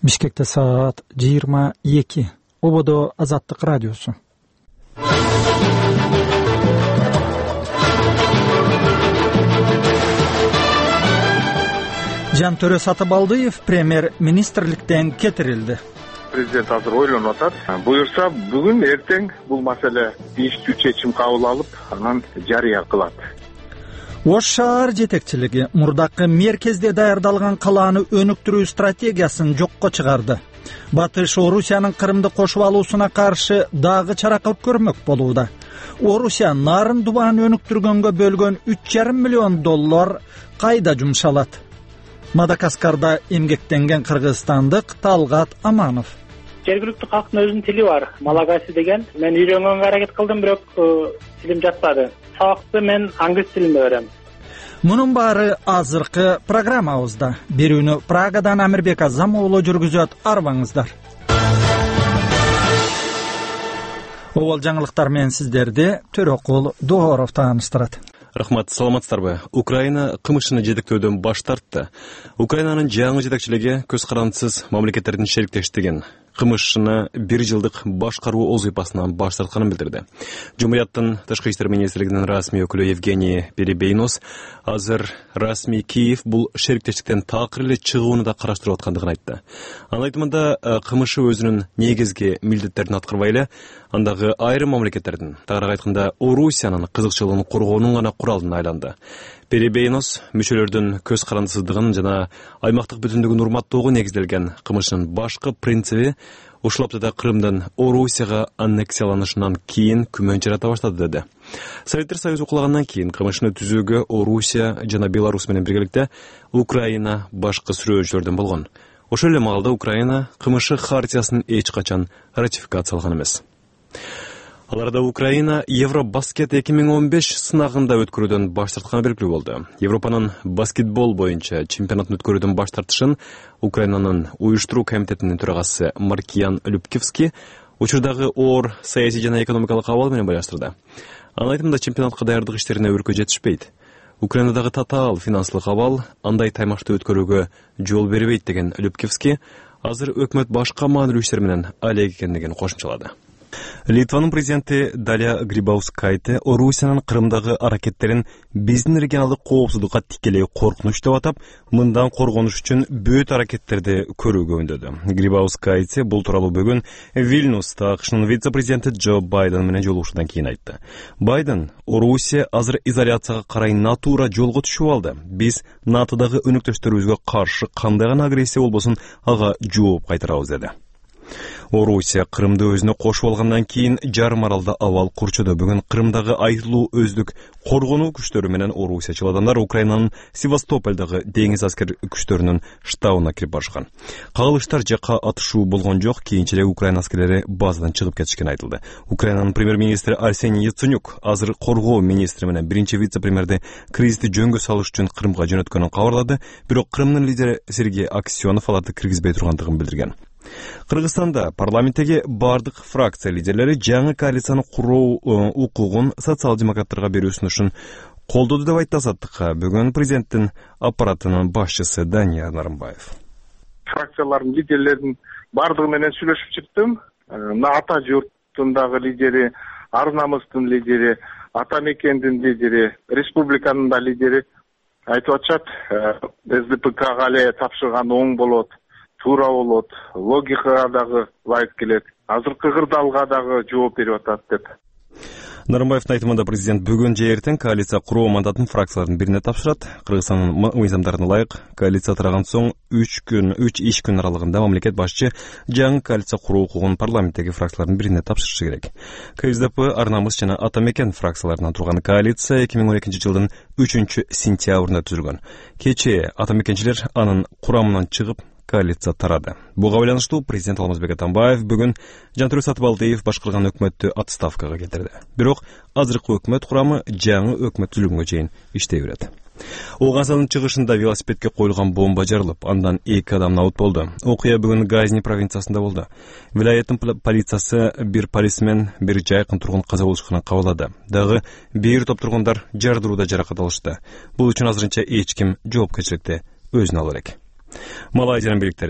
Бишкекте саат 22. Ободо Азаттык радиосу. Жантөрө Сатыбалдыев премьер-министрликтен кетирилди. Президент азыр ойлонуп атат. Буюрса бүгүн эртең бул маселе тийиштүү чечим кабыл алып, анан жарыя кылат. Ош шаар жетекчилиги мурдакы мерkezде даярдалган калааны өнүктүрүү стратегиясын жокко чыгарды. Батыш Орусиянын Крымды кошуп алуусуна каршы дагы чара көрмөк болууда. Орусия нарын дубаан өнүктүргөнгө бөлгөн $3,5 миллион кайда жумшалат? Мадагаскарда эмгектенген кыргызстандык Талгат Аманов. Жергиликтүү калктын өзүнүн тили бар, малагаси деген. Мен үйрөнгөнгө аракет кылдым, бирок тилим жатпады. Сабакты мен англис тилинде берем. Мунун баары азыркы программабызда. Бирүүнү Прагадан Амирбек Азам уулу жүргүзөт, арбаңыздар. Обол жаңылыктар менен сиздерди Төрөкул Дооров тааныштырат. Рахмат, саламатсыздарбы? Украина кымышыны жетектөөдөн баш тартты. Украинанын жаңы жетекчилиги көз карандысыз мамлекеттердин шериктештигин, кымышыны 1 жылдык башкаруу вазыйфасынан баш тартканын билдирди. Жумурияттын Тышкы иштер министрлигинин расмий өкүлү Евгений Перебейнос азыр расмий Киев бул шериктештиктен такыр эле чыгууну да караштырып аткандыгын айтты. Анын айтымында кымышы өзүнүн негизги милдеттерин аткарбай эле, андагы айрым мамлекеттердин, тагыраак айтканда Орусиянын кызыкчылыгын коргоонун гана куралына айланды. Перебейнос мүчөлөрдүн көз карандысыздыгын жана аймактык бүтүндүгүн урматтоого негизделген кымышынын башкы принциби ушул аптада Крымдын Орусияга аннексияланышынан кийин күмөн жарата баштады деди. Советтер Союзу кулагандан кийин кымышыны түзүүгө Орусия жана Беларусь менен биргеликте Украина башкы сүрөөчүлөрдөн болгон. Ошол эле маалда Украина кымышы хартиясын эч качан ратификациялаган эмес. Аларда Украина Евробаскет 2015 сынагында өткөрүүдөн баш тартканы белгилүү болду. Европанын баскетбол боюнча чемпионатын өткөрүүдөн баш тартышын Украинанын уюштуруу комитетинин төрагасы Маркиян Любкевский учурдагы оор саясий жана экономикалык абал менен байланыштырды. Анын айтымында чемпионатка даярдык иштерине өркө жетишпейт. Украинадагы татаал финансылык абал андай таймашты өткөрүүгө жол бербейт деген Любкевский азыр өкмөт башка маанилүү иштер менен алек экендигин кошумчалады. Литванын президенти Даля Грибаускайте Орусиянын Крымдагы аракеттерин биздин регионалдык коопсуздукка тикелей коркунуч деп атап, мындан коргонуш үчүн бөт аракеттерди көрүүгө үндөдү. Грибаускайте бул тууралуу бүгүн Вильнюста АКШнын вице-президенти Джо Байден менен жолугушуудан кийин айтты. Байден: Орусия азыр изоляцияга карай натура жолго түшүп алды. Биз НАТОдагы өнөктөштөрүбүзгө каршы кандай гана агрессия болбосун ага жооп кайтарабыз деди. Орусия Крымды өзүнө кошуп алгандан кийин жарым аралда абал курчуду. Бүгүн Крымдагы айтылуу өздүк коргонуу күчтөрү менен орусиячыл адамдар Украинанын Севастополдагы деңиз аскер күчтөрүнүн штабына кирип барышкан. Кагылыштар жакка атышуу болгон жок, кийинчерээк Украина аскерлери базадан чыгып кетишкени айтылды. Украинанын премьер-министри Арсений Яценюк азыр коргоо министри менен биринчи вице-премьерди кризисти жөнгө салыш үчүн Крымга жөнөткөнүн кабарлады, бирок Крымдын лидери Сергей Аксенов аларды киргизбей тургандыгын билдирген. Кыргызстанда парламенттеги бардык фракция лидерлери жаңы коалицияны куруу укугун социал-демократтарга берүү сунушун колдоду деп айтты Азаттыкка бүгүн президенттин аппаратынын башчысы Данияр Нарымбаев. Фракциялардын лидерлеринин бардыгы менен сүйлөшүп чыктым. Ата журттундагы лидери, Ар намыстын лидери, Ата мекендин лидери, республиканын да лидери айтып атышат, СДПКга эле тапшырган оң болот, туура болот, логикага дагы ылайык келет, азыркы кырдаалга дагы жооп берип атат деп. Нарымбаевдин айтымында президент бүгүн же эртең коалиция куруу мандатын фракциялардын бирине тапшырат. Кыргызстандын мыйзамдарына ылайык коалиция тараган соң 3 иш күн аралыгында мамлекет башчы жаңы коалиция куруу укугун парламенттеги фракциялардын бирине тапшырышы керек. КСДП, Ар намыс жана Ата мекен фракцияларынан турган коалиция 2012 жылдын 3 сентябрында түзүлгөн. Кечээ Ата мекенчилер анын курамынан чыгып коалиция тарады. Буга байланыштуу президент Алмазбек Атамбаев бүгүн Жантөрө Сатыбалдыев башкарган өкмөттү отставкага кетирди. Бирок азыркы өкмөт курамы жаңы өкмөт түзүлгөнгө чейин иштей берет. Оганзанын чыгышында велосипедке коюлган бомба жарылып, андан 2 адам набыт болду. Окуя бүгүн Газни провинциясында болду. Вилаяттын полициясы бир полисмен, бир жайкын тургун каза болушканын кабарлады. Дагы бир топ тургундар жардырууда жаракат алышты. Бул үчүн азырынча эч ким жоопкерчиликти өзүнө ала элек. Малайзиянын бийликтери